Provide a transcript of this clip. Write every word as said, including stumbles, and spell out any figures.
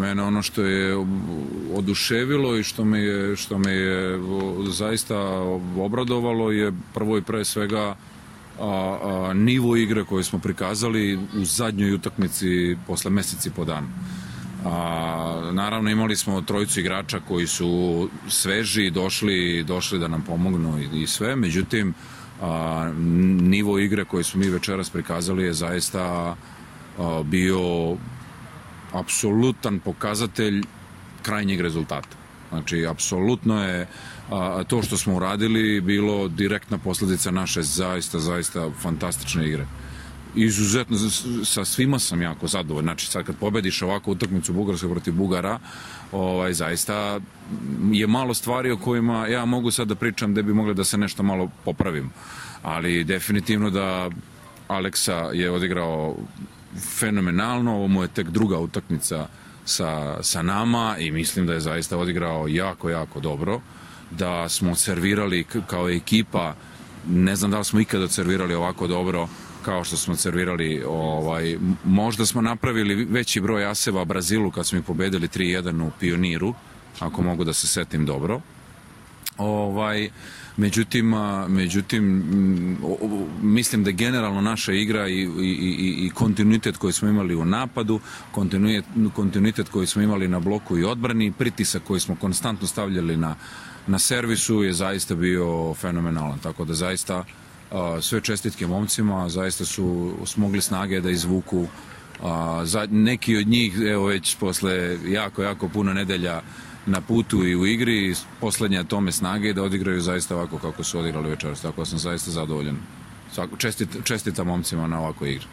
mene ono što je oduševilo i što me je, što me je zaista obradovalo je prvo i pre svega a, a, nivo igre koje smo prikazali u zadnjoj utakmici posle meseci po dana. A, naravno imali smo trojicu igrača koji su sveži, došli, došli da nam pomognu i, i sve, međutim a, nivo igre koje smo mi večeras prikazali je zaista a, bio apsolutan pokazatelj krajnjeg rezultata. Znači, apsolutno je a, to što smo uradili bilo direktna posledica naše zaista, zaista fantastične igre. Izuzetno, sa svima sam jako zadovoljan. Znači, sad kad pobediš ovakvu utakmicu Bugarska protiv Bugara, ovaj, zaista je malo stvari o kojima ja mogu sad da pričam da bi mogle da se nešto malo popravim. Ali definitivno da Aleksa je odigrao fenomenalno, ovo mu je tek druga utakmica sa, sa nama i mislim da je zaista odigrao jako, jako dobro, da smo servirali kao ekipa, ne znam da li smo ikada servirali ovako dobro kao što smo servirali, ovaj, možda smo napravili veći broj aseva Brazilu kad smo ih pobedili tri jedan u Pioniru, ako mogu da se setim dobro. Ovaj, međutim, međutim mislim da je generalno naša igra i, i, i, i kontinuitet koji smo imali u napadu, kontinuitet, kontinuitet koji smo imali na bloku i odbrani, pritisak koji smo konstantno stavljali na, na servisu je zaista bio fenomenalan, tako da zaista sve čestitke momcima, zaista su smogli snage da izvuku za, neki od njih, evo već posle jako, jako puno nedelja na putu i u igri, poslednja tome snage da odigraju zaista ovako kako su odigrali večeras, tako da sam zaista zadovoljan. Čestit, čestita momcima na ovakvoj igri.